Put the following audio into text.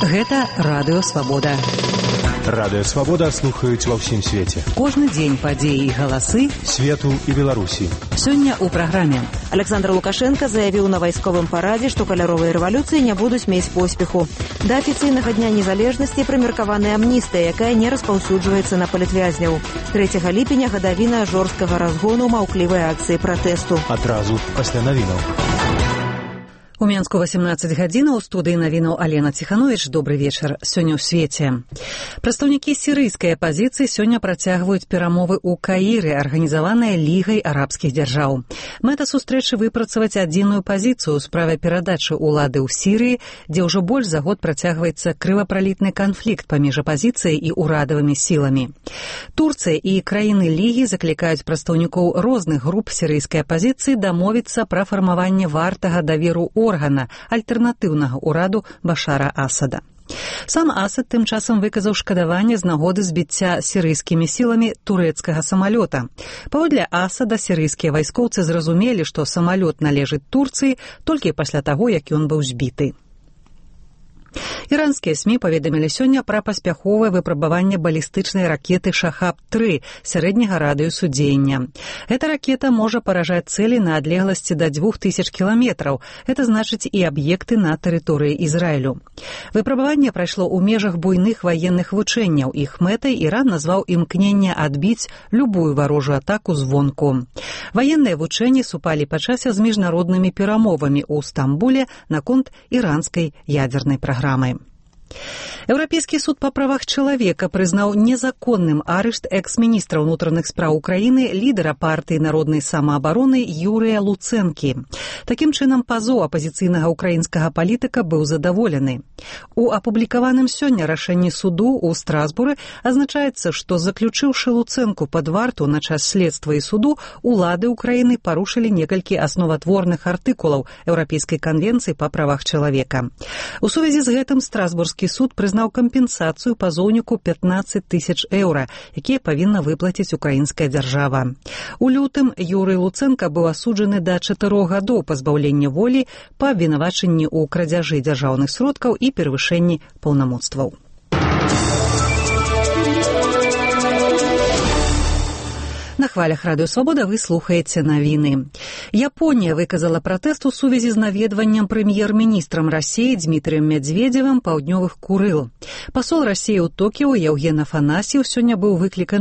Гэта Радыё Свабода. Радыё Свабода слухаюць ва ўсім свеце. Кожны дзень падзеі і галасы свету і Беларусі. Сёння ў праграме. Александр Лукашенко заявіў на вайсковым парадзе, што каляровыя рэвалюцыі не будуць мець поспеху. Да афіцыйнага дня незалежнасці прымеркаваная амністыя, якая не распаўсюджваецца на палітвязняў. 3 ліпеня гадавіна жорсткага разгону маўклівай акцыі пратэсту. Адразу пасля навінаў. У Менску 18 гадзінаў, у студыі навінаў Алена Ціхановіч. Добры вечар. Сёння ў свеце. Прадстаўнікі сірыйскай апазіцыі сёння працягваюць перамовы ў Каіры, арганізаваныя Лігай арабскіх дзяржаў. Мэта сустрэчы выпрацаваць адзіную пазіцыю ў справе перадачы ўлады ў Сірыі, дзе ўжо больш за год працягваецца крывапралітны канфлікт паміж апазіцыяй і ўрадавымі сіламі. Турцыя і краіны Лігі заклікаюць прадстаўнікоў розных груп сірыйскай апазіцыі дамовіцца пра фармаванне вартага даверу органа альтэрнатыўнага ўраду Башара Асада. Сам Асад тым часам выказаў шкадаванне з нагоды збіцця сірыйскімі сіламі турэцкага самалёта. Паводле Асада сірыйскія вайскоўцы зразумелі, што самалёт належыць Турцыі толькі пасля таго, як ён быў збіты. Іранскія СМІ паведамілі сёння пра паспяховае выпрабаванне балістычнай ракеты «Шахаб-3» сярэдняга радыусу дзеяння. Эта ракета можа паражаць цэлі на адлегласці да 2000 кіламетраў. Это значыць і аб'екты на тэрыторыі Ізраілю. Выпрабаванне прайшло ў межах буйных ваенных вучэнняў. Іх мэтай Іран назваў імкненне адбіць любую варожую атаку звонку. Ваенныя вучэнні супалі па часе з міжнароднымі перамовамі ў Стамбуле наконт іранскай ядзернай праграмы. Еўрапейскі суд па правах чалавека прызнаў незаконным арышт экс-міністра ўнутраных спраў Украіны, лідара партыі народнай самаабароны Юрыя Луцэнкі. Такім чынам, пазоў апазіцыйнага украінскага палітыка быў задаволены. У апублікаваным сёння рашэнні суду ў Страсбуры азначаецца, што заключыўшы Луцэнку пад варту на час следства і суду, улады Украіны парушылі некалькі асноватворных артыкулаў Еўрапейскай канвенцыі па правах чалавека. У сувязі з гэтым Страсбурскі суд прызнаў кампенсацыю пазоўніку 15 000 еўра, якія павінна выплаціць украінская дзяржава. У лютым Юрый Луцэнка быў асуджаны да 4 гадоў пазбаўлення волі па абвінавачанні ў крадзяжы дзяржаўных сродкаў і перавышэнні паўнамоцтваў. На хвалях Радыё Свабода вы слухаеце навіны. Японія выказала пратэст у сувязі з наведваннем прэм'ер-міністрам Расіі Дмітрыем Мядзведзевым паўднёвых Курыл. Пасол Расіі ў Токіо Яўген Афанасьеў сёння быў выкліканы